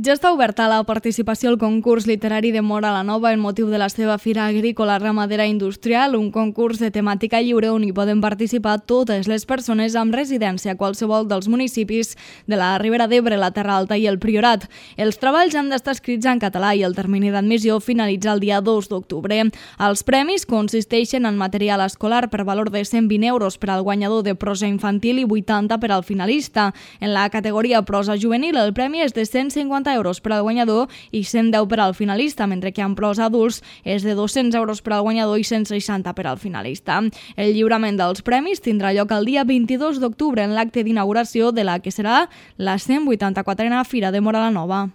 Ja està oberta la participació al concurs literari de Móra la Nova en motiu de la seva Fira Agrícola Ramadera Industrial, un concurs de temàtica lliure on hi poden participar totes les persones amb residència a qualsevol dels municipis de la Ribera d'Ebre, la Terra Alta i el Priorat. Els treballs han d'estar escrits en català i el termini d'admissió finalitza el dia 2 d'octubre. Els premis consisteixen en material escolar per valor de 120 euros per al guanyador de prosa infantil i 80 per al finalista. En la categoria prosa juvenil el premi és de 150 euros per al guanyador i 110 per al finalista, mentre que en prosa adults és de 200 euros per al guanyador i 160 per al finalista. El lliurament dels premis tindrà lloc el dia 22 d'octubre en l'acte d'inauguració de la que serà la 184a Fira de Móra la Nova.